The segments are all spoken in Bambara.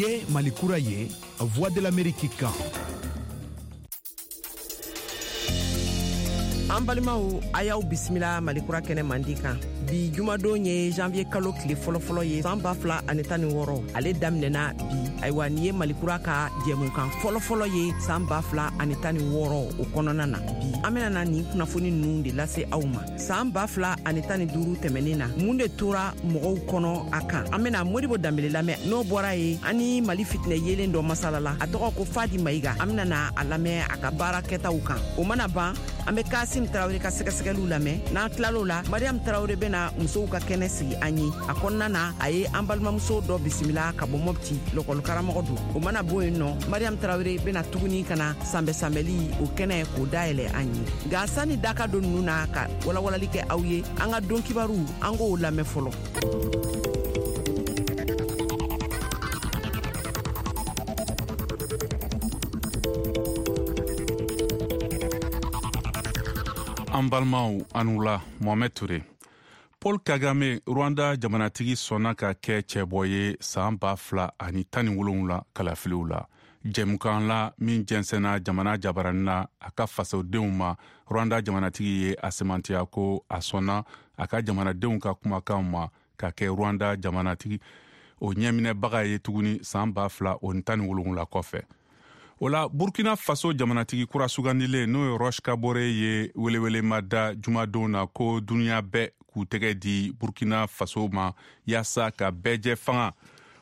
Ye Mali kura ye, Voix de l'Amérique kan. An balimaw, a y'aw bisimila Malikura kɛnɛ mandi kan. Bi jumadon ye janvier kalo tile fɔlɔfɔlɔ ye san 2016, ale daminɛna bi. Ayiwa, nin ye Malikura ka jɛmukan fɔlɔfɔlɔ ye san 2016 o kɔnɔna na. Bi an bena na nin kunnafoni nunu de lase aw ma. San 2015 tɛmɛnin na, mun de tora mɔgɔw kɔnɔ a kan? An bena Modibo Danbele lamɛn. N'o bɔra ye, an ni Mali fitinɛ yelen dɔ masala la, a tɔgɔ ko Fadi Mayiga. An bena na a lamɛn a ka baara kɛtaw kan. O mana ban, an be Kasim Tarawele ka sɛgɛsɛgɛliw lamɛn. N'an tilal'o la, Mariam Tarawele bena musow ka kɛnɛ sigi an ye. A kɔnɔna na, a ye an balimamuso dɔ bisimila ka bɔ Mɔpti, lɔkɔlikaramɔgɔ don. O mana bɔ yen nɔ, Mariam Tarawele bena tuguni ka na sanbɛsanbɛli o kɛnɛ k'o dayɛlɛ an ye. Nka sani daka don nunu na ka walawalali kɛ aw ye, an ka don kibaru, an k'o lamɛn fɔlɔ. An balimaw, a ni wula. Mohamɛd Ture. Paul Kagame, Rwanda jamanatigi, sɔnna ka kɛ cɛbɔ ye san 2017 kalafiliw la. Jɛmukan la min jɛnsɛnna jamana jabarani na a ka fasodenw ma, Rwanda jamanatigi ye a sɛmɛntiya ko a sɔnna a ka jamanadenw ka kumakanw ma ka kɛ Rwanda jamanatigi o ɲɛminɛbaga ye tuguni san 2017 kɔfɛ. O la, Burkina Faso jamanatigi kura sugandilen, n'o ye Roch Kabore ye, welewelema da jumadon na ko duniɲa bɛɛ k'u tɛgɛ di Burkina Faso ma yaasa ka bɛɛjɛ fanga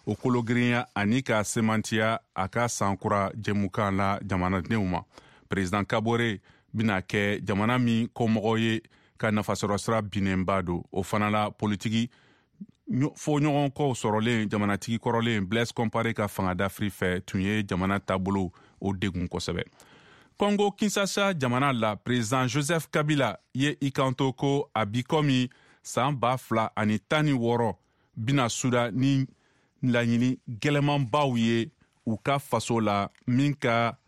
o kologirinya ani ka semantiya a ka sankura jɛmukan la jamanadenw ma. President Kabore bɛna kɛ jamana min kɔmɔgɔ ye ka nafasɔrɔsira binnenba don. O fana la, politiki fɔɲɔgɔnkɔw sɔrɔlen jamanatigi kɔrɔlen Blaise Compaoré ka fanga dafiri fɛ tun ye jamana taabolo o degun kosɛbɛ. Congo Kinshasa jamana la, president Joseph Kabila ye i kanto ko a bi komi san 2016 bɛna suda ni laɲini gɛlɛmanbaw ye u ka faso la, min ka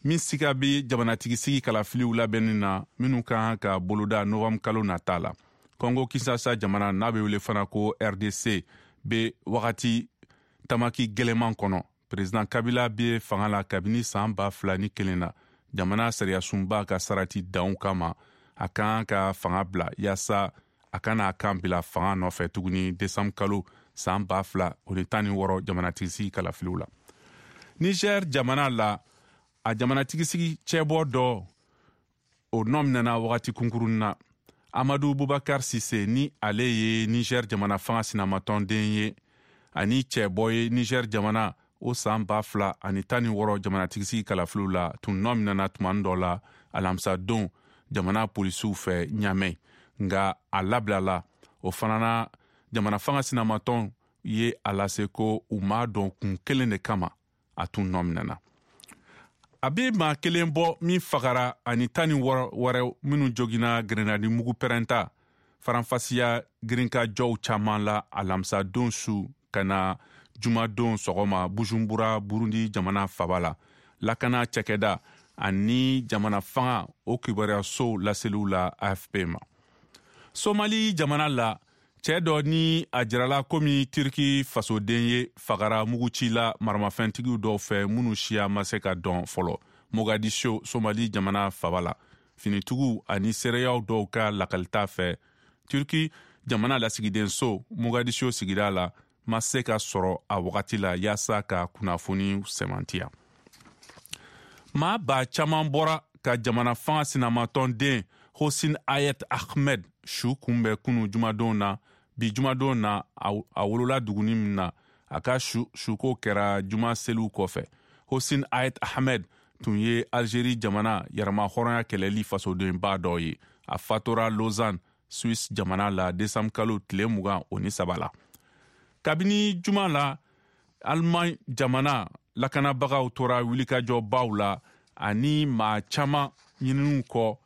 min siga bɛ jamanatigisigi kalafiliw labɛnni na minnu ka kan ka boloda novembre kalo nata la. Congo Kinshasa jamana, n'a bɛ wele fana ko RDC, bɛ wagati tamaki gɛlɛman kɔnɔ. Président Kabila bɛ fanga la kabini san 2001 na. Jamana sariyasunba ka sarati danw kama, a kan ka fanga bila yaasa a kana a kan bila fanga nɔfɛ tuguni décembre kalo san 2016 jamanatigisigi kalafiliw la. Niger jamana la, a jamanatigisigi cɛbɔ dɔ o nɔ minɛna wagati kunkurunnin na. Amadu Bubakar Sise, ni ale ye Niger jamana fanga sinamatɔnden ye ani cɛbɔ ye Niger jamana o san 2016 jamanatigisigi kalafiliw la, tun nɔ minɛna tumani dɔ la alamisadon jamana polisiw fɛ Ɲamɛ, nka a labilala. O fana na, jamana fanga sinamatɔn ye a lase ko u m'a dɔn kun kelen de kama a tun nɔ minɛna. A bɛ maa kelen bɔ min fagara ani 16 wɛrɛ minnu jogina grenadi mugu pɛrɛnta faranfasiya girinkajɔw caman la alamisadon su ka na jumadon sɔgɔma Bujumbura, Burundi jamana faba la. Lakana cakɛda ani jamana fanga o kibaruyasow laseliw la AFP ma. Somali jamana la, cɛɛ dɔ ni a jirala komi Turki fasoden ye fagara muguci la maramafɛntigiw dɔw fɛ minnu siya ma se ka dɔn fɔlɔ, Mogadiscio, Somali jamana faba la. Finitigiw ani seereyaw dɔw ka lakalita fɛ, Turki jamana lasigidenso Mogadiscio sigida la ma se ka sɔrɔ a wagati la yaasa ka kunnafoni sɛmɛntiya. Maa ba caman bɔra ka jamana fanga sinamatɔnden Hossein Ayet Ahmed su kunbɛn kunu jumadon na. Bi jumadon na, a wolola duguni min na, a ka suko kɛra juma seliw kɔfɛ. Hossein Ayet Ahmed tun ye Algérie jamana yɛrɛma hɔrɔnya kɛlɛli fasodenba dɔ ye. A fatora Lausanne, Suisse jamana la, décembre kalo tile 23 la. Kabini juma la, Allemagne jamana lakanabagaw tora wulikajɔbaw la ani maa caman ɲininiw kɔ,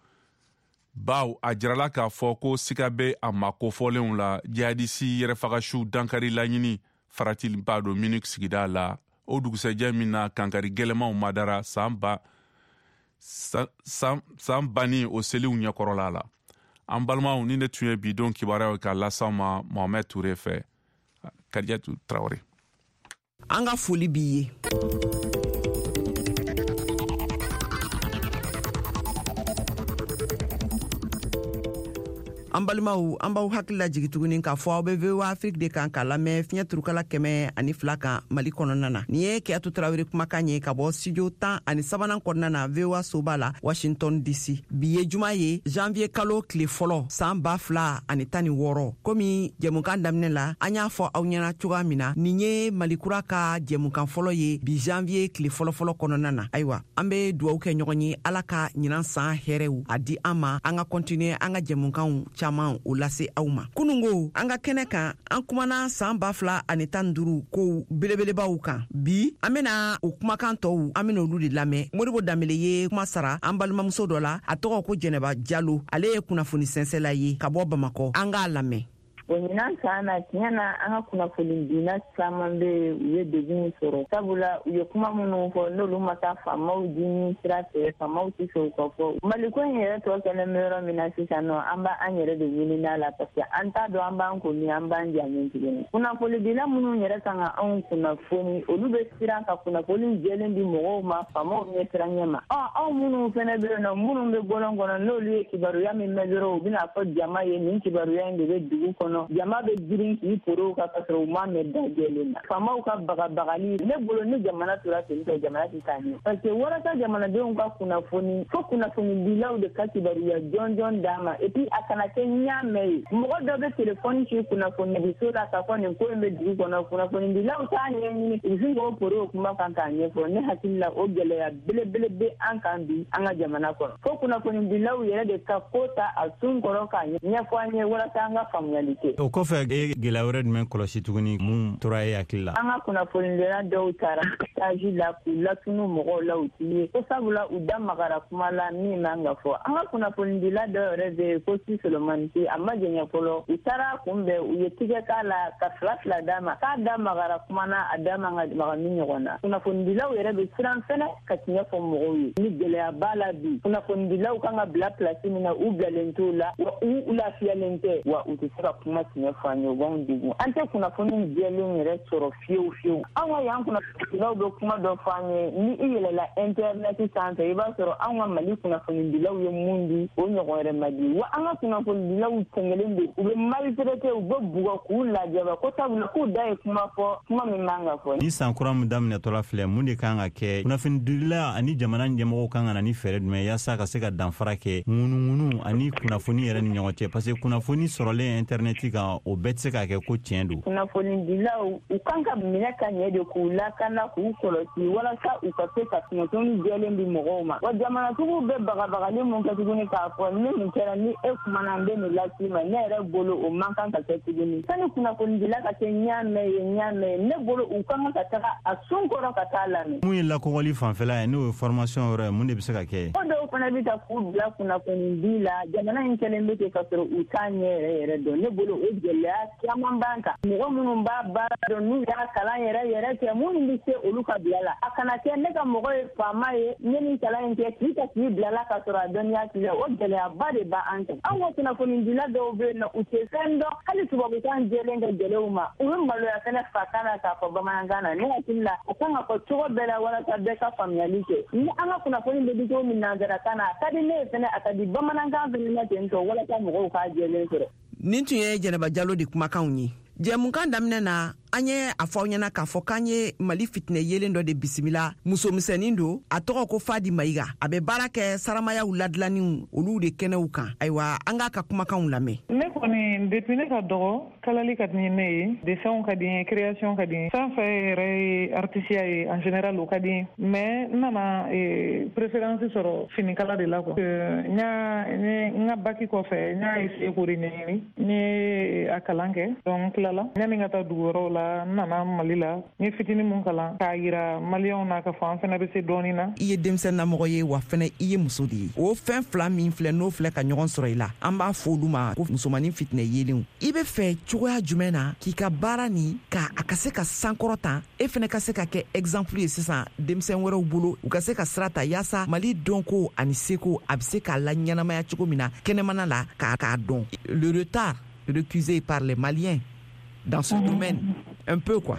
baw a jirala k'a fɔ ko siga bɛ a ma kofɔlenw la jihadisi yɛrɛfagasiw dankari laɲini faratiba don Munich sigida la, o dugusɛjɛ min na kankari gɛlɛmanw madara san ba san banni o seliw ɲɛkɔrɔla la. An balimaw, ni ne tun ye bi don kibaruyaw ka las'aw ma Mohamɛd Ture fɛ, Kadijatu Tarawele. An ka foli b'i ye. An balimaw, an b'aw hakili lajigi tuguni k'a fɔ aw be VOA Afrique de kan k'a lamɛn fiɲɛ turukala 102 kan Mali kɔnɔna na. Nin ye Kiyatu Tarawele kumakan ye ka bɔ studio 13nan kɔnɔna na VOA soba la, Washington DC. Bi ye juma ye, janvier kalo tile fɔlɔ, san 2016. Komi jɛmukan daminɛ la, an y'a fɔ aw ɲɛna cogoya min na, nin ye Malikura ka jɛmukan fɔlɔ ye bi janvier tile fɔlɔfɔlɔ kɔnɔna na. Ayiwa, an be duwawu kɛ ɲɔgɔn ye, Ala ka ɲinan san hɛrɛw a di an ma, an ka kɔntiniye an ka jɛmukanw caman o lase aw ma. Kunungo an ka kɛnɛ kan, an kumana san 2015 kow belebelebaw kan. Bi an bena o kumakan tɔw, an bena olu de lamɛn. Modibo Danbele ye kuma sara an balimamuso dɔ la, a tɔgɔ ko Jɛnɛba Jalo, ale ye kunnafoni sɛnsɛla ye ka bɔ Bamakɔ. An k'a lamɛn. O ɲinan san na, tiɲɛ na, an ka kunnafonidila caman bɛ yen, u ye degun sɔrɔ, sabula u ye kuma minnu fɔ, n'olu ma taa faamaw dimi sira fɛ, faamaw tɛ fɛ u ka fɔ. Maliko in yɛrɛ tɔ kɛlen bɛ yɔrɔ min na sisan nɔ, an b'an yɛrɛ de ɲini a la, parce que an t'a dɔn an b'an ko min, an b'an ja min tuguni. Kunnafonidila minnu yɛrɛ kan ka anw kunnafoni, olu bɛ siran ka kunnafoni jɛlen di mɔgɔw ma faamaw ɲɛ siran ɲɛ ma. Ɔ, anw minnu fana bɛ yen nɔ, minnu bɛ bɔlɔn kɔnɔ, n'olu ye kibaruya min mɛn dɔrɔn, u bɛna fɔ jama ye nin kibaruya in de bɛ dugu kɔnɔ, jama bɛ girin k'i poro kan ka sɔrɔ u m'a mɛn da jɛlen na. Faamaw ka bagabagali, ne bolo, ni jamana tora ten tɔ, jamana tɛ taa ɲɛ, parce que walasa jamanadenw ka kunnafoni, fo kunnafonidilaw de ka kibaruya jɔnjɔn d'a ma. Et puis a kana kɛ ɲaamɛ ye, mɔgɔ dɔ bɛ telefɔni ci kunnafonidiso la k'a fɔ nin ko in bɛ dugu kɔnɔ, kunnafonidilaw t'a ɲɛɲini, u bɛ sin k'o poro o kuma kan k'a ɲɛfɔ. Ne hakili la, o gɛlɛya belebele bɛ an kan bi an ka jamana kɔnɔ, fo kunnafonidilaw yɛrɛ de ka ko ta a sun kɔrɔ k'a ɲɛfɔ an ye walasa an ka faamuyali kɛ. O kɔfɛ, e gɛlɛya wɛrɛ jumɛn kɔlɔsi tuguni, mun tora e hakili la? An ka kunnafonidila dɔw taara stage la k'u latunu mɔgɔw la, u ti ye ko sabula u da magara kuma la min man ka fɔ. An ka kunnafonidila dɔw yɛrɛ bɛ yen ko si Solomani, a ma jɛɲɛ fɔlɔ, u taara kunbɛn, u ye tigɛ k'a la ka fila fila d'a ma k'a da magara kuma na a da man ka maga min ɲɔgɔn na. Kunnafonidilaw yɛrɛ bɛ siran fɛnɛ ka tiɲɛ fɔ mɔgɔw ye. Ni gɛlɛya b'a la bi, kunnafonidilaw kan ka bila pilasi min na, u bilalen t'o la, wa u lafiyalen tɛ, wa u tɛ se ka kuma tiɲɛ fɔ an ye, u b'anw degun. An tɛ kunnafoni jɛlen yɛrɛ sɔrɔ fiyewu fiyewu. An ka yan kunnafonidilaw bɛ kuma dɔ fɔ an ye, ni i yɛlɛla intɛrinɛti sanfɛ, i b'a sɔrɔ anw ka Mali kunnafonidilaw ye mun di, o ɲɔgɔn wɛrɛ ma di. Wa an ka kunnafonidilaw sɛgɛnlen don, u bɛ maltraité, u bɛ bugɔ k'u lajaba ko sabula k'u da ye kuma fɔ, kuma min man ka fɔ. Ni san kura min daminɛtɔla filɛ, mun de kan ka kɛ? Kunnafonidila ani jamana ɲɛmɔgɔw kan ka na ni fɛɛrɛ jumɛn yaasa ka se ka danfara kɛ ŋunuŋunu ani kunnafoni yɛrɛ ni ɲɔgɔn cɛ? Parce que kunnafoni sɔrɔlen intɛrinɛti kan, o bɛɛ tɛ se ka kɛ ko tiɲɛ don. Kunnafonidilaw, u kan ka minɛ ka ɲɛ de k'u lakana, k'u kɔlɔsi walasa u ka se ka kunnafoni jɛlen di mɔgɔw ma. Wa jamanatigiw bɛ bagabagali mun kɛ tuguni k'a fɔ ni nin kɛra, ni e kumana, n bɛ nin las'i ma, ne yɛrɛ bolo o man kan ka kɛ tuguni. Sani kunnafonidila ka kɛ ɲaamɛ ye ɲaamɛ ye, ne bolo u kan ka taga a sun kɔrɔ ka taa lamɛn. Mun ye lakɔgɔli fanfɛla ye, n'o ye formation yɔrɔ ye, mun de bɛ se ka kɛ? Ko dɔw fana bɛ ta k'u bila kunnafonidi la, jamana in kɛlen bɛ ten ka sɔrɔ u t'a ɲɛ yɛrɛ yɛrɛ dɔn. Ne bolo o gɛlɛya caman b'an kan. Mɔgɔ minnu b'a baara dɔn, n'u y'a kalan yɛrɛ yɛrɛ kɛ, minnu bɛ se, olu ka bila la. A kana kɛ ne ka mɔgɔ ye faama ye, n ye nin kalan in kɛ, k'i ta k'i bila la ka sɔrɔ a dɔnniya t'i la, o gɛlɛyaba de b'an kan. Anw ka kunnafonidila dɔw bɛ yen nɔ, u tɛ fɛn dɔn, hali tubabukan jɛlen ka gɛlɛn u ma, u bɛ maloya fɛnɛ fakan na k'a fɔ bamanankan na. Ne hakili la, a kan ka fɔ cogo bɛɛ la walasa bɛɛ ka faamuyali kɛ. Ni an ka kunnafoni bɛ di cogo min nansarakan na, a ka di ne ye fɛnɛ, a ka di bamanankan fɛnɛ na ten tɔ, walasa mɔgɔw k'a jɛlen sɔrɔ. Nin tun ye Jɛnɛba Jalo de kumakanw ye. Jɛmukan daminɛ na, an ye a fɔ aw ɲɛna k'a fɔ k'an ye Mali fitinɛ yelen dɔ de bisimila. Musomisɛnnin don, a tɔgɔ ko Fadi Mayiga, a bɛ baara kɛ saramayaw ladilanniw olu de kɛnɛw kan. Ayiwa, an k'a ka kumakanw lamɛn. Ne kɔni, depuis ne ka dɔgɔ, kalali ka di ne ye, dessinw ka di n ye, création ka di n ye, fɛn fɛn yɛrɛ ye artisiya ye en général, o ka di n ye. Mais n nana préférence sɔrɔ finikala de la quoi. N y'a n ka bac kɔfɛ, n y'a essayé k'o de ɲɛɲini, n ye a kalan kɛ. Donc n tilala, yanni ka taa dugu wɛrɛw la, n nana Mali la, n ye fitini mun kalan k'a yira Maliyɛnw na k'a fɔ an fana bɛ se dɔɔni na. I ye denmisɛnninamɔgɔ ye, wa fɛnɛ i ye muso de ye. O fɛn fila min filɛ, n'o filɛ ka ɲɔgɔn sɔrɔ i la, an b'a fɔ olu ma ko musomanin fitinɛ yelenw. I bɛ fɛ cogoya jumɛn na k'i ka baara nin ka a ka se ka sankɔrɔ tan, e fɛnɛ ka se ka kɛ exemple ye sisan denmisɛn wɛrɛw bolo, u ka se ka sira ta yaasa Mali dɔnko ani seko a bɛ se k'a la ɲɛnamaya cogo min na kɛnɛmana la k'a dɔn, le retard recusé par les Maliens dans ce domaine un peu quoi?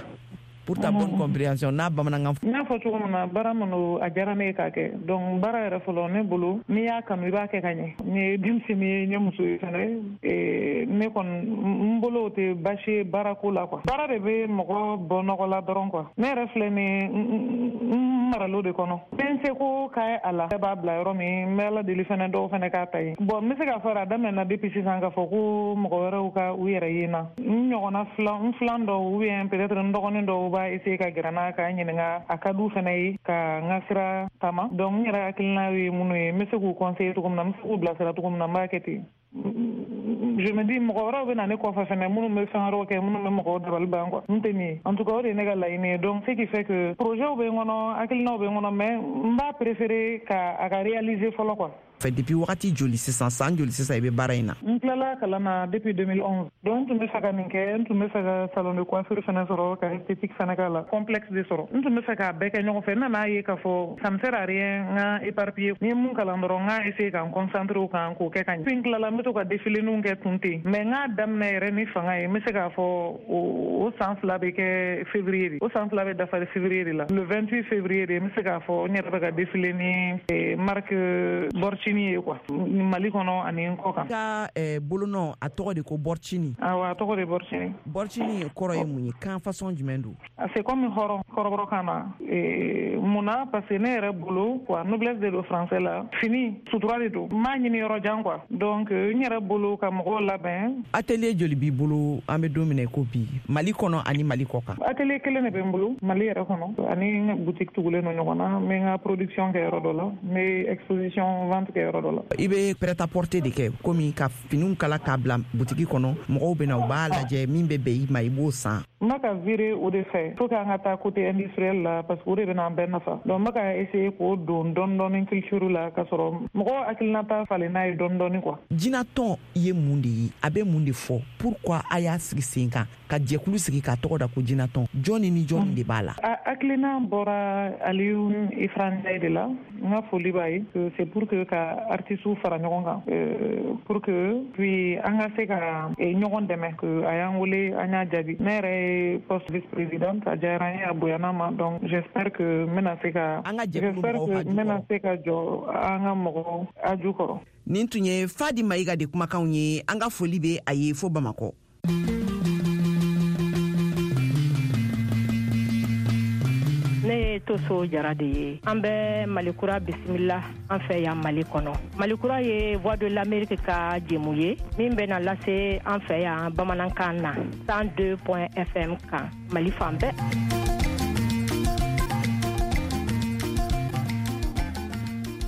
Pour ta bonne compréhension, n'a bamanankan. N y'a fɔ cogo min na, baara min don, a diyara ne ye k'a kɛ. Donc baara yɛrɛ fɔlɔ, ne bolo, n'i y'a kanu, i b'a kɛ ka ɲɛ. N ye denmisɛnnin ye, n ye muso ye fɛnɛ. Ne kɔni, n bolo, o tɛ baasi ye baarako la quoi. Baara de bɛ mɔgɔ bɔ nɔgɔ la dɔrɔn quoi. Ne yɛrɛ filɛ nin ye, n maralo de kɔnɔ. N bɛ n seko k'a a la. Ne b'a bila yɔrɔ min, n bɛ Ala deli fɛnɛ, dɔw fɛnɛ k'a ta yen. Bon, n bɛ se k'a fɔ a daminɛna depuis sisan k'a fɔ ko mɔgɔ wɛrɛw ka u yɛrɛ ye n na. N ɲɔgɔnna filan, n filan dɔw ou bien peut-être n dɔgɔnin dɔw b'a essayer ka gɛrɛ n na k'a ɲininka, a ka d'u fɛnɛ ye ka n ka sira taama. Donc n yɛrɛ hakilina ye minnu ye, n bɛ se k'u conseiller cogo min na, n bɛ se k'u bilasira cogo min na, n b'a kɛ ten. Je me dis, mɔgɔ wɛrɛw bɛ na ne kɔfɛ fɛnɛ, minnu bɛ fɛn wɛrɛw kɛ, minnu bɛ mɔgɔw dabali ban quoi. N tɛ nin ye. En tout cas, o de ye ne ka laɲini ye. Donc ce qui fait que projet bɛ n kɔnɔ, hakilinaw bɛ n kɔnɔ, mais n b'a préférer ka a ka réaliser fɔlɔ quoi. Fɛ depuis wagati joli sisan, san joli sisan i bɛ baara in na? N tilala kalan na depuis 2011. Donc n tun bɛ fɛ ka nin kɛ, n tun bɛ fɛ ka salon de coiffure fɛnɛ sɔrɔ, ka esthétique fɛnɛ k'a la, complexe de sɔrɔ. N tun bɛ fɛ k'a bɛɛ kɛ ɲɔgɔn fɛ. N nana ye k'a fɔ ça me sert à rien n ka éparpiller. N ye mun kalan dɔrɔn, n k'a essayer ka n concentrer o kan k'o kɛ ka ɲɛ. Puis n tilala, n bɛ to ka défiléninw kɛ tun ten, mais n k'a daminɛ yɛrɛ ni fanga ye, n bɛ se k'a fɔ o san 2 bɛ kɛ février de, o san 2 bɛ dafa février de la, le 28 février de, n bɛ se k'a fɔ n yɛrɛ bɛ ka défiler ni marque Borchini ye quoi, Mali kɔnɔ ani n kɔ kan. Ka bolonɔ, a tɔgɔ de ko Borchini? Awɔ, a tɔgɔ de Borchini. Borchini kɔrɔ ye mun ye? Kan façon jumɛn don? C'est comme hɔrɔn kɔrɔbɔrɔ kan na. Mun na? Parce que ne yɛrɛ bolo quoi, noblesse de don français la, fini sutura de don, n m'a ɲini yɔrɔ jan quoi. Donc n yɛrɛ bolo ka mɔgɔw labɛn. Atelier joli b'i bolo an bɛ don min na i ko bi, Mali kɔnɔ ani Mali kɔ kan? Atelier kelen de bɛ n bolo Mali yɛrɛ kɔnɔ, ani boutique tugulen don ɲɔgɔn na. N bɛ n ka production kɛ yɔrɔ dɔ la, n bɛ exposition vente kɛ yɔrɔ dɔ la. I bɛ prêt à porter de kɛ, komi ka finiw kala k'a bila butigi kɔnɔ, mɔgɔw bɛ na, u b'a lajɛ, min bɛ bɛn i ma, i b'o san? N bɛ ka virer o de fɛ. Faut que an ka taa côté industriel la, parce que o de bɛna an bɛɛ nafa. Donc n bɛ ka essayer k'o don dɔɔni dɔɔni culture la, k'a sɔrɔ mɔgɔw hakilinata falen n'a ye dɔɔni dɔɔni quoi. Jinatɔn ye mun de ye? A bɛ mun de fɔ? Pourquoi a y'a sigi sen kan ka jɛkulu sigi k'a tɔgɔ da ko Jinatɔn? Jɔnni ni jɔnni de b'a la? A hakilina bɔra Aliou Ifra Ndiaye de la. N ka foli b'a ye. C'est pour que ka artistes fara ɲɔgɔn kan, pour que puis an ka se ka ɲɔgɔn dɛmɛ. Que a y'an wele, an y'a jaabi. Ne yɛrɛ ye poste vice présidente, a diyara n ye, a bonyana ma. Donc j'espère que n bɛna se ka an ka jɛkulu j'espère mɔgɔw que haju n bɛna kɔrɔ. Se ka jɔ an ka mɔgɔw aju kɔrɔ. Nin tun ye Fadi Mayiga de kumakanw ye. An ka foli bɛ a ye fo Bamakɔ. Ne ye Toso Jara de ye. An bɛ Malikura bisimila an fɛ yan Mali kɔnɔ. Malikura ye Voix de l'Amérique ka jɛmu ye min bɛna lase an fɛ yan bamanankan na 102 point FM kan Mali fan bɛɛ.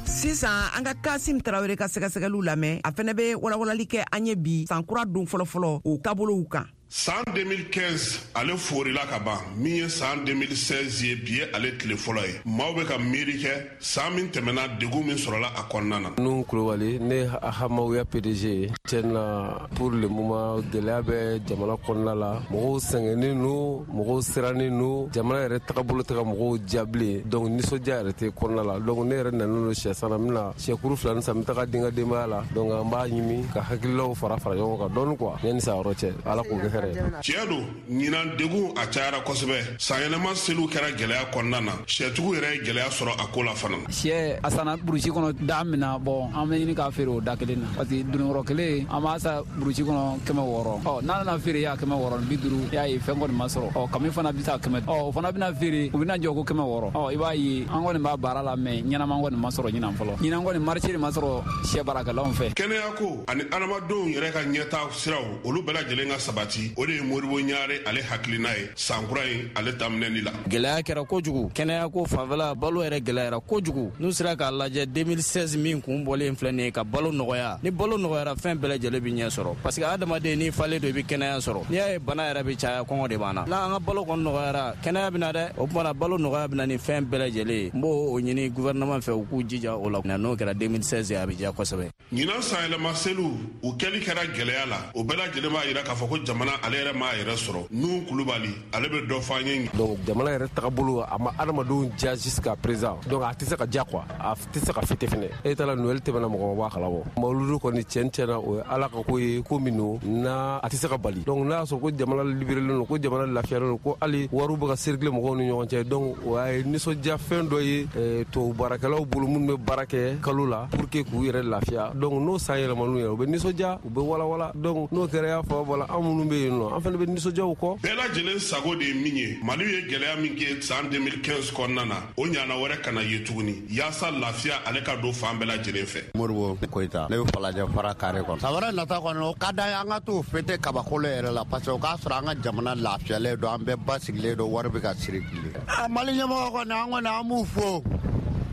Sisan an ka Kasim Tarawele ka sɛgɛsɛgɛliw lamɛn. A fɛnɛ bɛ walawalali kɛ an ye bi sankura don fɔlɔfɔlɔ o taabolow kan. San 2015, ale forila ka ban. Min ye san 2016 ye, bi ye ale tile fɔlɔ ye. Maaw bɛ ka miiri kɛ san min tɛmɛna, degun min sɔrɔla a kɔnɔna na. Nu Kulubali, ne Hamawuya PDG ye. Tiɲɛ na, pour le moment, gɛlɛya bɛ jamana kɔnɔna la. Mɔgɔw sɛgɛnnen no, mɔgɔw sirannen no, jamana yɛrɛ tagabolo tɛ ka mɔgɔw diya bilen. Donc nisɔndiya yɛrɛ tɛ kɔnɔna la. Donc ne yɛrɛ nanen don sɛ san na, n bɛna sɛkuru 2 ni san, n bɛ taga den ka denbaya la. Donc an b'a ɲimi ka hakililaw fara fara ɲɔgɔn kan dɔɔni quoi, yanni san wɛrɛ cɛ. Ala k'o kɛ hɛrɛ ye. Tiɲɛ don, ɲinan degun a cayara kosɛbɛ. Sanyɛlɛma seliw kɛra gɛlɛya kɔnɔna na. Sɛtigiw yɛrɛ ye gɛlɛya sɔrɔ a ko la fana. Sɛ a sanna burusi kɔnɔ da min na, bɔn, an bɛ ɲini k'a feere o da kelen na, parce que dununkɔrɔ kelen an b'a sa burusi kɔnɔ 600. Ɔ, n'a nana feere y'a 650, i y'a ye fɛn kɔni ma sɔrɔ. Ɔ, kami fana bɛ sa 100, ɔ, o fana bɛna feere, u bɛna jɔ ko 600. Ɔ, i b'a ye an kɔni b'a baara la, mɛ ɲɛnama kɔni ma sɔrɔ ɲinan fɔlɔ. Ɲinan kɔni marché de ma sɔrɔ sɛ baarakɛlaw fɛ. Kɛnɛya ko ani adamadenw yɛrɛ ka ɲɛta siraw, olu bɛɛ lajɛlen ka sabati, o de ye Moribo Ɲare ale hakilina ye sankura in ale daminɛli la. Gɛlɛya kɛra kojugu kɛnɛya ko fanfɛla, balo yɛrɛ gɛlɛyara kojugu. N'u sera k'a lajɛ 2016 min kun bɔlen filɛ nin ye, ka balo nɔgɔya. Ni balo nɔgɔyara, fɛn bɛɛ lajɛlen bi ɲɛ sɔrɔ, parce que adamaden n'i falen don, i bi kɛnɛya sɔrɔ. N'i y'a ye bana yɛrɛ bi caya, kɔngɔ de b'an na. N'an ka balo kɔni nɔgɔyara, kɛnɛya bɛ na dɛ. O tuma na balo nɔgɔya bɛ na ni fɛn bɛɛ lajɛlen ye. N b'o o ɲini gouvernement fɛ, u k'u jija o la. N'o kɛra 2016 ye, a bɛ diya kosɛbɛ. Ɲinan sanyɛlɛma seliw, u kɛli kɛra gɛlɛya la. O bɛɛ lajɛlen b'a yira k'a fɔ ko jamana ale yɛrɛ m'a yɛrɛ sɔrɔ. Nuhu Kulubali, ale bɛ dɔ fɔ an ye. Donc jamana yɛrɛ tagabolo a ma adamadenw diya jusqu'à présent, donc a tɛ se ka diya quoi, a tɛ se ka fêter fɛnɛ. E taara Noël tɛmɛna, mɔgɔ ma bɔ a kalama. Mawuludu kɔni tiɲɛ na, o ye Ala ka ko ye, ko min don n'a a tɛ se ka bali. Donc n'a y'a sɔrɔ ko jamana libérélen don, ko jamana lafiyalen don, ko hali wariw bɛ ka circuler mɔgɔw ni ɲɔgɔn cɛ, donc o ye nisɔndiya fɛn dɔ ye tubabu baarakɛlaw bolo minnu bɛ baara kɛ kalo la pour que k'u yɛrɛ lafiya. Donc n'o san yɛlɛman'u yɛrɛ, u bɛ nisɔndiya, u bɛ walawala. Donc n'o kɛra, y'a fɔ wala, an minnu bɛ yen nɔ, an fana bɛ nisɔndiya o kɔ. Bɛɛ lajɛlen sago de ye min ye, Mali ye gɛlɛya min kɛ san 2015 kɔnɔna na, o ɲana wɛrɛ kana ye tuguni, yaasa lafiya ale ka don fan bɛɛ lajɛlen fɛ. Moribo Koyita, ne bɛ Falajɛ fara kare kɔnɔ. San wɛrɛ nata kɔnɔ, o ka d'an ye an ka t'o fêter kabakolo yɛrɛ la, parce que o k'a sɔrɔ an ka jamana lafiyalen don, an bɛɛ basigilen don, wari bɛ ka circuler. Mali ɲɛmɔgɔ kɔni, an kɔni an b'u fo,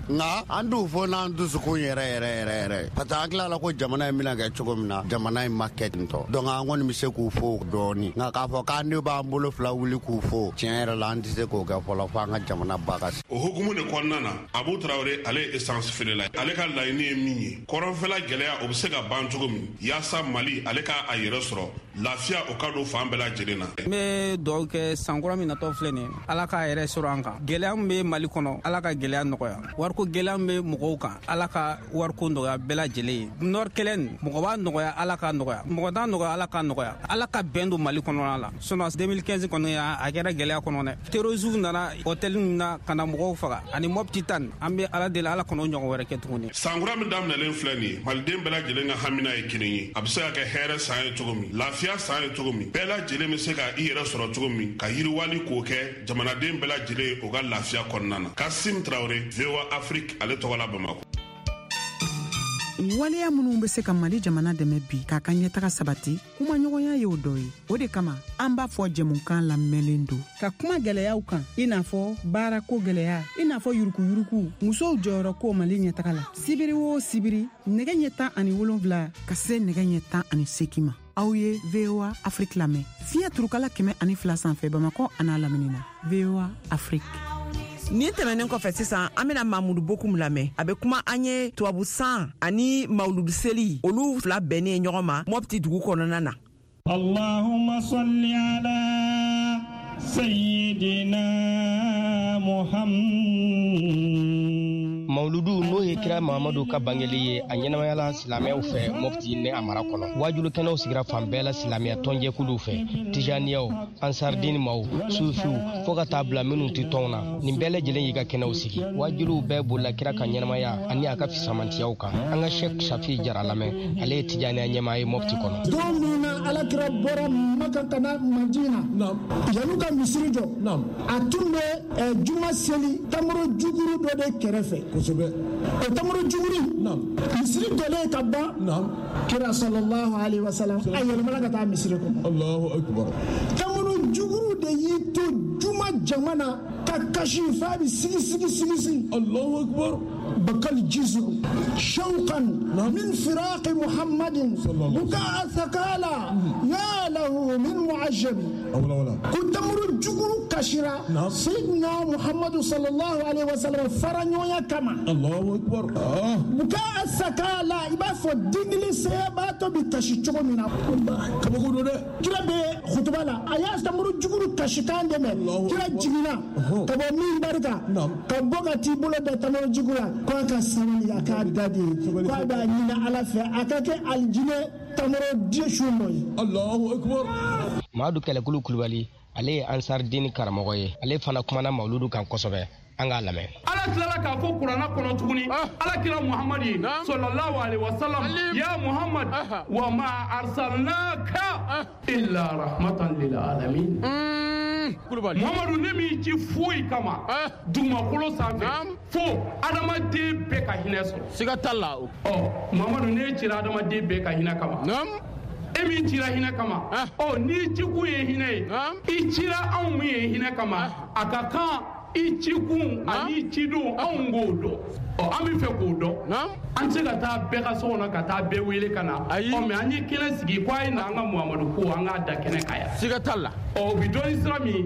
nka an t'u fo n'an dusukun yɛrɛ yɛrɛ yɛrɛ yɛrɛ, parce que an tilala ko jamana in bɛna kɛ cogo min na, jamana in ma kɛ ten tɔ. Donc an kɔni bɛ se k'u fo dɔɔni, nka k'a fɔ k'an de b'an bolo fila wuli k'u fo, tiɲɛ yɛrɛ la, an tɛ se k'o kɛ fɔlɔ fo an ka jamana ba ka. O hukumu de kɔnɔna na, Abu Tarawele, ale ye essence feerela, ale ka laɲini ye min ye, kɔrɔnfɛla gɛlɛya o bɛ se ka ban cogo min, yaasa Mali ale ka a yɛrɛ sɔrɔ, lafiya o ka don fan bɛɛ lajɛlen na. N bɛ dugawu kɛ, sankura min natɔ filɛ nin ye, Ala k'a yɛrɛ sɔrɔ an kan. Gɛlɛya min bɛ Mali kɔnɔ, Ala ka gɛlɛya nɔgɔya. Wariko gɛlɛya min bɛ mɔgɔw kan, Ala ka wariko nɔgɔya bɛɛ lajɛlen ye. Nord kɛlɛ nin, mɔgɔ b'a nɔgɔya, Ala ka nɔgɔya, mɔgɔ t'a nɔgɔya, Ala ka nɔgɔya. Ala ka bɛn don Mali kɔnɔna la. Sinon 2015 kɔni, a kɛra gɛlɛya kɔnɔ dɛ. Terroristes nana hôtel na ka na mɔgɔw faga ani Mopti tan. An bɛ Ala deli, Ala kɔnɔ ɲɔgɔn wɛrɛ kɛ tuguni. Sankura min daminɛlen filɛ nin ye, maliden bɛɛ lajɛlen ka hamina ye kelen ye, a bɛ se ka kɛ hɛrɛ san ye cogo min, lafiya san ye cogo min, bɛɛ lajɛlen bɛ se ka i yɛrɛ sɔrɔ cogo min, ka yiriwali k'o kɛ jamanaden bɛɛ lajɛlen o ka lafiya kɔnɔna na. Kasim Tarawele, VOA Afrique ale tɔgɔ la, Bamakɔ. Waleya minnu bɛ se ka Mali jamana dɛmɛ bi k'a ka ɲɛtaga sabati, kumaɲɔgɔnya y'o dɔ ye. O de kama an b'a fɔ, jɛmukan lamɛnlen don ka kuma gwɛlɛyaw kan, i n'a fɔ baarako gwɛlɛya, i n'a fɔ yurukuyuruku, musow jɔyɔrɔ ko Mali ɲɛtaga la. Sibiri o sibiri, nɛgɛ ɲɛ 17 ka se nɛgɛ ɲɛ 18 ma, aw ye VOA Afrique lamɛn fiɲɛ turukala 102 sanfɛ, Bamakɔ an'a lamini na. VOA Afrique. Nin tɛmɛnen kɔfɛ, sisan an bena Mamudu Bokum lamɛn. A be kuma an ye tubabu san ani mawuludu seli, olu fila bɛnnen ɲɔgɔn ma Mɔpti dugu kɔnɔna na. اللهم صل على سيدنا محمد. Mawuludu, n'o ye kira Mahamadu ka bangeli ye, a ɲɛnamayala silamɛw fɛ Mɔpti ni a mara kɔnɔ. Wajulu kɛnɛw sigira fan bɛɛ la silamɛya tɔnjɛkuluw fɛ, tijaniyaw, ansardini maw, sufiw, fɔɔ ka taa bila minw tɛ tɔnw na, nin bɛɛ lajɛlen y'i ka kɛnɛw sigi. Wajuliw bɛɛ bolila kira ka ɲɛnamaya ani a ka fisamantiyaw kan. An ka Shek Safi Jara lamɛn, ale ye tijaniya ɲɛmaa ye Mɔpti kɔnɔ. Don min na Alakira bɔra Maka ka na Madina, yan'u ka misiri jɔ, a tun bɛ juma seli tamaro juguru dɔ de kɛrɛfɛ. O tamaro juguru, misiri jɔlen ka ban, kira sallallahu alaihi wasallam a yɛlɛmana ka taa misiri kɔnɔ. Allahu akbar. Tamaro juguru de y'i to juma jama na ka kasi f'a bɛ sigi sigi sigi sigi. Allahu akbar. بكى الجزع شوقا من فراق محمد بكاء ثكالى يا له من معجب. Ko tamaro juguru kasira سيدنا محمد صلى الله عليه وسلم fara ɲɔgɔnya kama. Allahu akbar. بكاء ثكالى, i b'a fɔ dingili sɛbɛbaatɔ bi kasi cogo min na. Kabako don dɛ. Kira bɛ kutuba la, a y'a tamaro juguru kasikan de mɛn. Kira jiginna ka bɔ min barika ka bɔ ka t'i bolo da tamaro jugu la, ko a ka sabali, a k'a da de, ko a b'a ɲini Ala fɛ a ka kɛ alijinɛ tamaro den su nɔ ye. Allahu akbar. Madu Kɛlɛkulu Kulubali, ale ye Ansar Dini karamɔgɔ ye, ale fana kumana mawuludu kan kosɛbɛ. An k'a lamɛn. Ala tilala k'a fɔ kuranna kɔnɔ tuguni ala kira Muhamadu ye sallallahu alaihi wasallam: ya Muhammad, wa ma arsalnaka illa rahmatan lil alamin. Muhamadu, ne m'i ci foyi kama dugumakolo sanfɛ fo adamaden bɛɛ ka hinɛ sɔrɔ. Siga t'a la. Ɔ Muhamadu, ne cira adamaden bɛɛ ka hinɛ kama. E min cira hinɛ kama, ɔ n'i cikun ye hinɛ ye, i cira anw min ye hinɛ kama, a ka kan i cikun ani cidon anw k'o dɔn. Ɔ an bɛ fɛ k'o dɔn. An tɛ se ka taa bɛɛ ka so kɔnɔ ka taa bɛɛ wele ka na. Ɔ mais an ye kɛnɛ sigi ko a ye na an ka Muhamadu ko an k'a da kɛnɛ kan yan. Siga t'a la. Ɔ o bɛ dɔn ni sira min ye.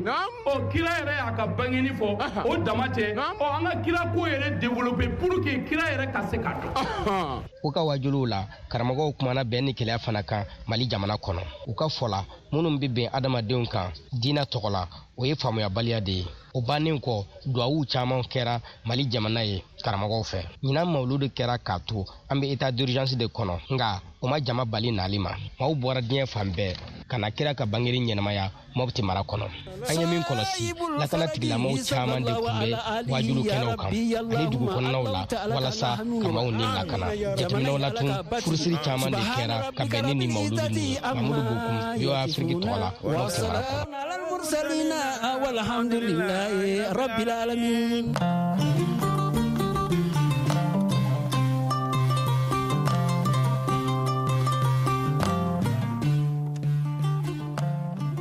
Ɔ kira yɛrɛ y'a ka bangeni fɔ, o dama tɛ. Ɔ an ka kira ko yɛrɛ développer pour que kira yɛrɛ ka se ka dɔn. U ka wajuliw la, karamɔgɔw kumana bɛn ni kelenya fana kan Mali jamana kɔnɔ. U ka fɔ la, minnu bɛ bɛn adamadenw kan diinɛ tɔgɔ la, o ye faamuyabaliya de ye. O bannen kɔ, duwawuw caman kɛra Mali jamana ye karamɔgɔw fɛ. Ɲinan mawuludu kɛra k'a to an bɛ état d'urgence de kɔnɔ, nka o ma jama bali nali ma. Maaw bɔra diɲɛ fan bɛɛ ka na kira ka bangeli ɲɛnamaya Mɔpti mara kɔnɔ. An ye min kɔlɔsi, lakana tigilamɔgɔw caman de tun bɛ waajuli kɛnɛw kan ani dugu kɔnɔnaw la walasa ka maaw ni lakana. Jateminɛw la tun, furusiri caman de kɛra ka bɛn ni nin mawuludu ninnu ye. Mamudu Bokum, VOA Afrique tɔgɔ la, Mɔpti mara kɔnɔ.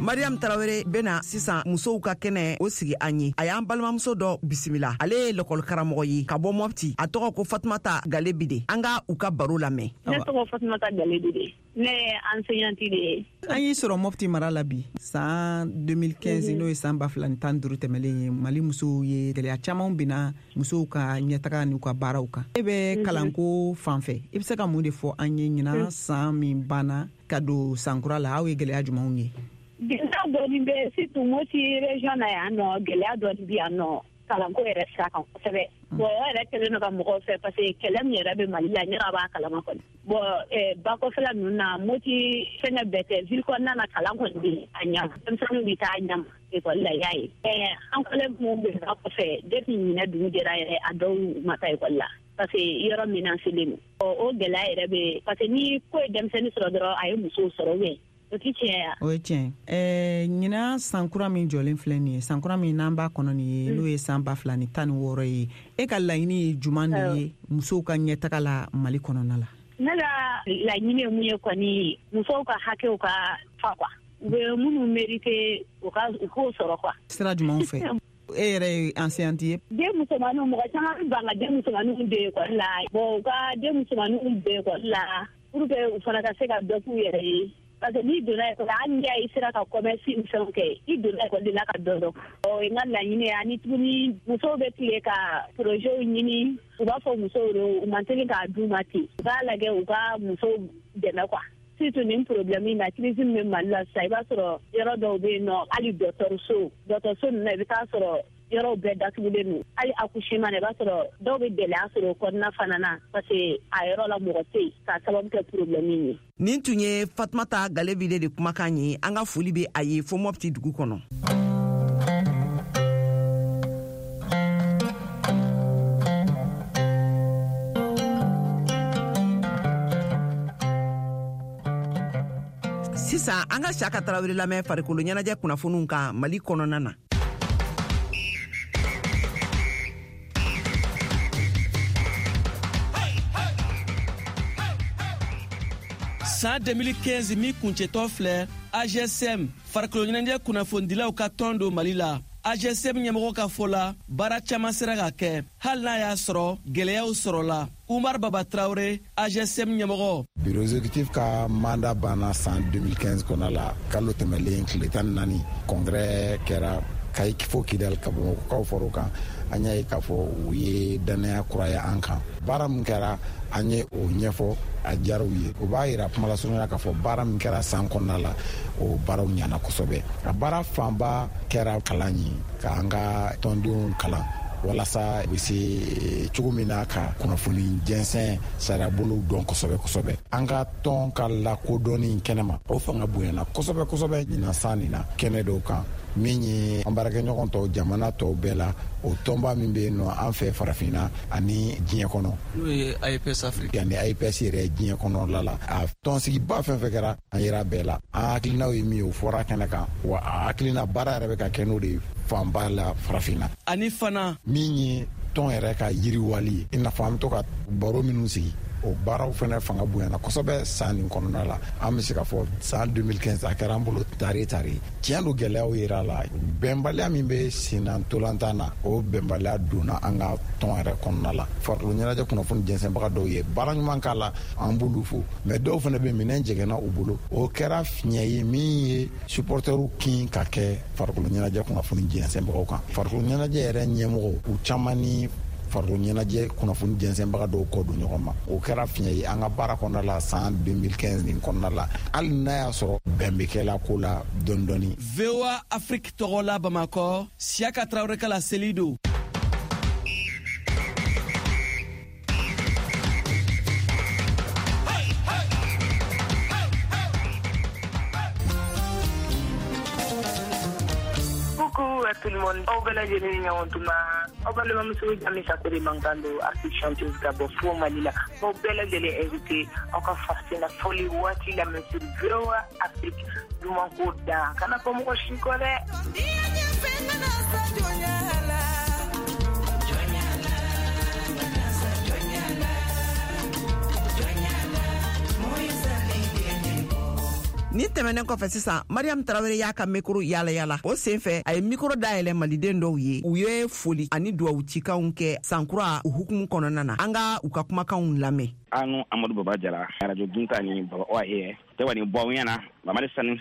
Mariam Tarawele bena sisan musow ka kɛnɛ o sigi an ye. A y'an balimamuso dɔ bisimila, ale ye lɔkɔli karamɔgɔ ye ka bɔ Mɔpti. A tɔgɔ ko Fatumata Galebide. An ka u ka baro lamɛn. Ne tɔgɔ Fatumata Galebide, ne ye enseignante de ye. An y'i sɔrɔ Mɔpti mara la bi san 2015, n'o ye san 2015 tɛmɛlen ye. Mali musow ye gɛlɛya caman binna musow ka ɲɛtaga n'u ka baaraw kan. E bɛ kalanko fan fɛ, i bɛ se ka mun de fɔ an ye ɲinan san min banna ka don sankura la, aw ye gɛlɛya jumɛnw ye? Gɛlɛya dɔɔni bɛ surtout Moti région na yan nɔ, gɛlɛya dɔɔni bɛ yan nɔ kalanko yɛrɛ sira kan kosɛbɛ. Bon, o yɛrɛ kɛlen don ka mɔgɔw fɛ parce que kɛlɛ min yɛrɛ bɛ Mali la, ɲɛna b'a kalama kɔni. Bon, ba kɔfɛla ninnu na, Moti fɛngɛ bɛɛ tɛ, ville kɔnɔna na kalan kɔni bɛ yen a ɲɛ, denmisɛnninw bɛ taa a ɲɛ ma ekɔli la, y'a ye. An collègue minnu bɛ ba kɔfɛ, depuis ɲinɛ dugu jɛra yɛrɛ, a dɔw ma taa ekɔli la parce que yɔrɔ menacelen don. O gɛlɛya yɛrɛ bɛ parce que ni ko ye denmisɛnnin sɔrɔ dɔrɔn, a ye musow sɔrɔ ou bien o ti tiɲɛ ya? O ye tiɲɛ. Ɲinan sankura min jɔlen filɛ nin ye, sankura min n'an b'a kɔnɔ nin ye, n'o ye san 2016 ye, e ka laɲini ye juman de ye musow ka ɲɛtaga la Mali kɔnɔna la? Ne ka laɲini ye mun ye kɔni, musow ka hakɛw ka fa quoi, u bɛ minnu mérité, u ka u k'o sɔrɔ quoi. Sira jumɛnw fɛ? E yɛrɛ ye enseignante ye. Den musomaninw, mɔgɔ caman bɛ ban ka den musomaninw don ekɔli la. Bon, u ka den musomaninw don ekɔli la pour que u fana ka se ka dɔ k'u yɛrɛ ye, parce que n'i donna ekɔli la, hali n'i y'a ye i sera ka commerce ni fɛnw kɛ, i donna ekɔli de la ka dɔ dɔn. O ye n ka laɲini ye. Ani tuguni, musow bɛ tile ka projetw ɲini, u b'a fɔ musow de u man teli k'a d'u ma ten. U k'a lajɛ u ka musow dɛmɛ quoi, surtout nin problème in na, crise min bɛ Mali la sisan. I b'a sɔrɔ yɔrɔ dɔw bɛ yen nɔ, hali dɔgɔtɔrɔso ninnu na, i bɛ taa sɔrɔ yɔrɔw bɛɛ datugulen don. Hali accouchement na, i b'a sɔrɔ dɔw bɛ gɛlɛya sɔrɔ o kɔnɔna fana na, parce que a yɔrɔ la mɔgɔ tɛ yen k'a sababu kɛ problème in ye. Nin tun ye Fatumata Galebide de kumakan ye. An ka foli bɛ a ye fo Mɔpti dugu kɔnɔ. Sisan an ka Siyaka Tarawele lamɛn farikolo ɲɛnajɛ kunnafoniw kan Mali kɔnɔna na. San 2015 min kuncɛtɔ filɛ, AJSM, farikolo ɲɛnajɛ kunnafonidilaw ka tɔn don Mali la, AJSM ɲɛmɔgɔ ka fɔ la, baara caman sera ka kɛ hali n'a y'a sɔrɔ gwɛlɛyaw sɔrɔla. Umar Baba Traore, AJSM ɲɛmɔgɔ. Bureau exécutif ka mandat banna san 2015 kɔnɔ la, kalo tɛmɛlen tile 14. Congrès kɛra Kayi fo Kidal, ka Bamakɔkaw fɔr'o kan. An y'a ye k'a fɔ u ye dannaya kuraya an kan. Baara min kɛra, an ye o ɲɛfɔ, a diyara u ye. O b'a yira kumalasurunya k'a fɔ baara min kɛra san kɔnɔna la, o baaraw ɲana kosɛbɛ. A baara fanba kɛra kalan ye, k'an ka tɔndenw kalan walasa u bɛ se cogo min na ka kunnafoni jɛnsɛn sariyabolow dɔn kosɛbɛ kosɛbɛ. An ka tɔn ka lakodɔnni kɛnɛma, o fanga bonyana kosɛbɛ kosɛbɛ ɲinan san nin na kɛnɛ dɔw kan, min ye an baarakɛɲɔgɔn tɔw, jamana tɔw bɛɛ la, o tɔnba min bɛ yen nɔ an fɛ farafinna ani diɲɛ kɔnɔ, n'o ye AIPS Afrique ani AIPS yɛrɛ diɲɛ kɔnɔ la. A tɔnsigiba fɛn fɛn kɛra, an yera bɛɛ la. An hakilinaw ye min ye, o fɔra kɛnɛ kan, wa a hakilina baara yɛrɛ bɛ ka kɛ n'o de ye fanba la farafinna. Ani fana min ye tɔn yɛrɛ ka yiriwali ye, i n'a fɔ an bɛ to ka baro minnu sigi, o baaraw fana fanga bonyana kosɛbɛ san nin kɔnɔna la. An bɛ se ka fɔ san 2015 a kɛra an bolo tare tare. Tiɲɛ don, gɛlɛyaw yera la. Bɛnbaliya min bɛ senna ntolantan na, o bɛnbaliya donna an ka tɔn yɛrɛ kɔnɔna la. Farikolo ɲɛnajɛ kunnafoni jɛnsɛnbaga dɔw ye baara ɲuman k'a la, an b'olu fo, mais dɔw fana bɛ minɛn jɛgɛnna u bolo. O kɛra fiɲɛ ye min ye supporteriw kin ka kɛ farikolo ɲɛnajɛ kunnafoni jɛnsɛnbagaw kan. Farikolo ɲɛnajɛ yɛrɛ ɲɛmɔgɔw, u caman ni farikolo ɲɛnajɛ kunnafoni jɛnsɛnbaga dɔw kɔ don ɲɔgɔn ma. O kɛra fiɲɛ ye an ka baara kɔnɔna la san 2015 nin kɔnɔna la, hali n'a y'a sɔrɔ bɛn bɛ kɛla ko la dɔɔni dɔɔni. VOA Afrique tɔgɔ la Bamakɔ, Siyaka Tarawele ka laseli don. Coucou à tout le monde. Aw bɛɛ lajɛlen ni ɲɔgɔn tuma. Aw balimamuso Jami Sakore mankan don, artiste chanteuse ka bɔ fo Mali la. Aw bɛɛ lajɛlen invité aw ka farafina fɔli waati lamɛn sur VOA Afrique. Duman ko da kana fɔ mɔgɔ si kɔ dɛ. Nin tɛmɛnen kɔfɛ sisan, Mariam Tarawele y'a ka mikoro yala yala. O sen fɛ, a ye mikoro dayɛlɛ maliden dɔw ye, u ye foli ani duwawu cikanw kɛ sankura o hukumu kɔnɔna na. An ka u ka kumakanw lamɛn. Anu Amadu Baba Jara, radio Dunta ni Baba Oa ye tɛ ni bɔ ɲɛna Mamadi Sani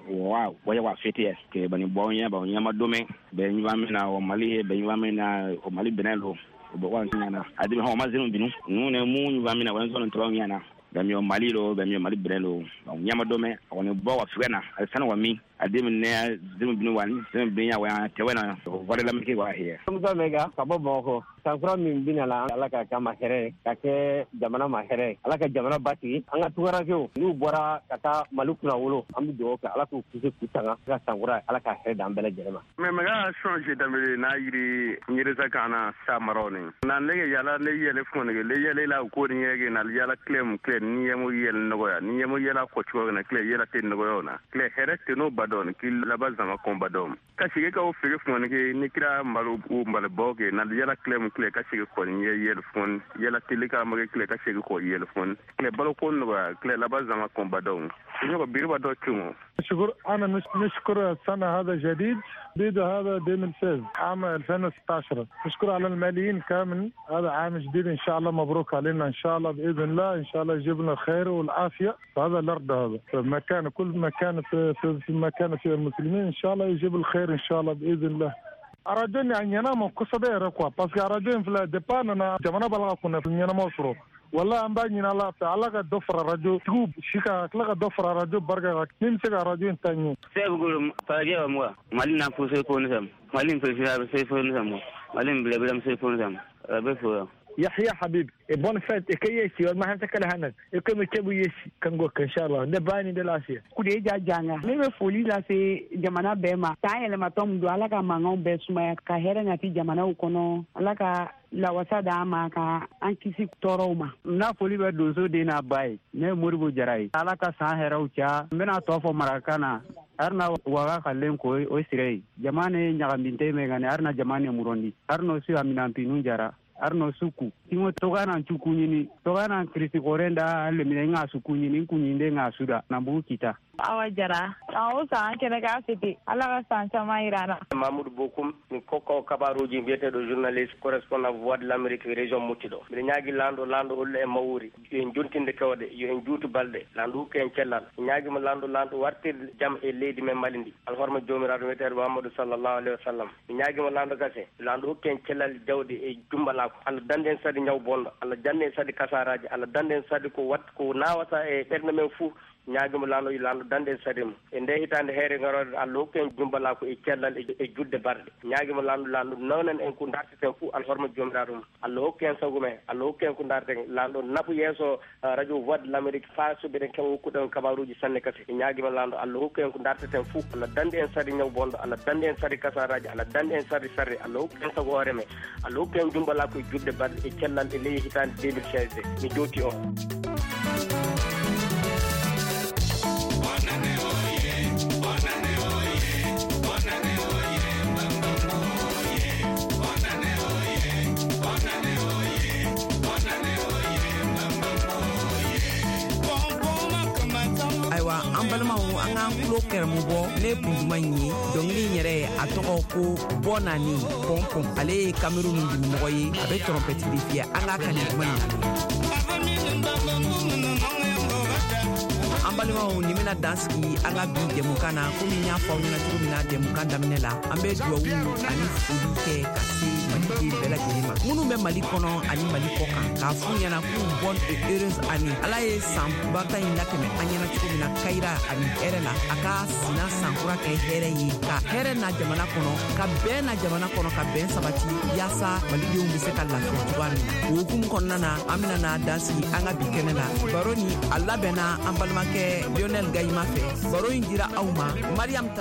wa wa wa fete ke bani bɔ ɲɛ ba ɲɛma domɛ bɛ ɲuman min na o Mali ye bɛ ɲuman min na o Mali bɛnɛ lo o bɔ wa ɲɛna a de hɔn ma zenu binu nu ne mu ɲuman min na wa zenu tɔrɔ ɲɛna bɛ mi Mali lo bɛ mi Mali bɛnɛ lo ɲɛma domɛ o ni bɔ wa fugɛ na a sanu wa min a de ne zenu binu wa ni zenu binu ya wa tɛ na o wale la mike wa he. Musa Mega ka bɔ Bamakɔ. Sankura min bɛna la, Ala ka k'a ma hɛrɛ, ka kɛ jamana ma hɛrɛ, Ala ka jamana basigi. An ka tunkarankew n'u bɔra ka taa Mali kunna wolo, an bɛ dugawu kɛ Ala k'u kisi k'u tanga. Ka sankura, Ala ka hɛrɛ d'an bɛɛ lajɛlen ma. Mais mega changer dambe na yiri nyereza kana sa marone na nege yala ne yele fone le yele la ko ni yege na yala klem kle ni yemo yele nogoya ni yemo yela ko chugo na kle yela te nogoya na kle hɛrɛ te no badon ki laba zama kon badon ka shige ka o fege fone ke ni kira mbalu u mbale boke na yala klem kle ka shige ko ni yele fone yela telika mage kle ka shige ko yele fone kle balo ko nogoya kle laba zama kon badon نيوكو بيربا دو تشومو. شكر انا نشكر السنه هذا جديد جديد هذا 2016 عام 2016. نشكر على الماليين كامل، هذا عام جديد ان شاء الله مبروك علينا ان شاء الله باذن الله، ان شاء الله يجيب لنا الخير والعافيه في هذا الارض، هذا في مكان كل مكان في في مكان في المسلمين ان شاء الله يجيب الخير ان شاء الله باذن الله. Radio ni a ɲɛna ma kosɛbɛ yɛrɛ quoi, parce que radio in filɛ depuis a nana jamana b'a la ka kunnafoni ɲɛnamaw sɔrɔ. Wala an b'a ɲini Ala fɛ, Ala ka dɔ fara radio tigiw si kan, ka tila ka dɔ fara radio barika kan min bɛ se ka radio in ta ɲɛ. Sɛbukuru falajɛ wa mɔgɔ Mali na fo se fo ne fɛ Mali président se fo ne fɛ Mali bilabila se fo ne fɛ a bɛ fo. يحيى حبيب bonne fête كيسي ما حتى هنا يكم كبو يسي كنغو ان شاء الله دباني دلاسيا Kudeja Janga ne bɛ foli lase jamana bɛɛ ma san yɛlɛmatɔ min don, Ala ka mankanw bɛɛ sumaya ka hɛrɛ nati jamanaw kɔnɔ, Ala ka lawasa d'an ma ka an kisi tɔɔrɔw ma. N na foli bɛ donso den n'a ba ye, ne ye Moribo Jara ye. Ala ka san hɛrɛw caya. N bɛna tɔ fɔ marakakan na arina waga kalen ko o sire ye jama ne ɲagaminte mɛ gani arina jama ne murondi arino su aminanpinu jara arno suku tingo togana chukunyini togana krisi korenda lemine nga sukunyini kunyinde nga suda nambu kita. Awa Jara san o san an kɛnɛ k'a fete, Ala ka san caman yira an na. Mamoudou Bokoum mi kokko kabaruji mbiyeteɗo journaliste correspondant Voix de l'Amérique région Mouti ɗo. Mbiɗa ñaagui lanɗo lanɗo hollu e mawuri yo en jontinde kewɗe, yo en juutu balɗe, lanɗo hokku en cellal. Mi ñaaguima lanɗo lanɗo wartir jaam e leydi men Mali ndi, alhorma jomiraɗo wiyeteɗo Mahamadou sallallahu alayhi wa sallam. Mi ñaaguima lanɗo kase lanɗo hokku en cellal jawɗi e jumbalako, Allah dande en saadi ñaw bonɗo, Allah dande en saadi kasaraji, Allah dande en saadi ko wat ko nawata e ɓernde men fuu. Ñaagimo lanɗo yo lanɗo dande en saadi mum e nde hitande heere garore, Allah hokku en jumbalako e cellal e judde barɗe. Ñaagimo lanɗo lanɗo nawnan en ko darteten fuu, alhorma jomiraɗo mum, Allah hokku en sago men, Allah hokku en ko darten, lanɗo nafu yeeso radio Voix de l'Amérique fa so ɓeɗen kewa hokkuɗen kabaruji sanne kadi. Ñaagimo lanɗo Allah hokku en ko darteten fuu, Allah dande en saadi ñaw bonɗo, Allah dande en saadi kasaraji, Allah dande en saadi sarde, Allah hokku en sago hoore men, Allah hokku en jumbalako e judde barɗe e cellal e ley hitande 2016. Mi jowti on. Ayiwa an balimaw, an k'an tulo kɛrɛmu bɔ ne kun duman in ye. Dɔnkili in yɛrɛ a tɔgɔ ko Bɔnani Pɔnpɔn, ale ye Kamerun dugumɔgɔ ye, a bɛ tɔrɔmpɛti de fiyɛ. An k'a ka nin duman in lamɛn. An Balimaw, nin bɛna dan sigi an ka bi jɛmukan na. Komi n y'a fɔ aw ɲɛna cogo min na jɛmukan daminɛ la, an bɛ duwawu ani foli kɛ ka se maliden bɛɛ lajɛlen ma, minnu bɛ Mali kɔnɔ ani Mali kɔ kan, k'a f'u ɲɛna k'u bonne et heureuse année. Ala ye san bata in latɛmɛ an ɲɛna cogo min na kayira ani hɛrɛ la, a ka sina sankura kɛ hɛrɛ ye, ka hɛrɛ na jamana kɔnɔ, ka bɛn na jamana kɔnɔ, ka bɛn sabati, yaasa malidenw bɛ se ka lafiya cogoya min na. O hukumu kɔnɔna na, an bɛna na dan sigi an ka bi kɛnɛ la. Baro ni a labɛnna an balimakɛ Lionel Gayima fɛ. Baro in dira aw ma Mariam.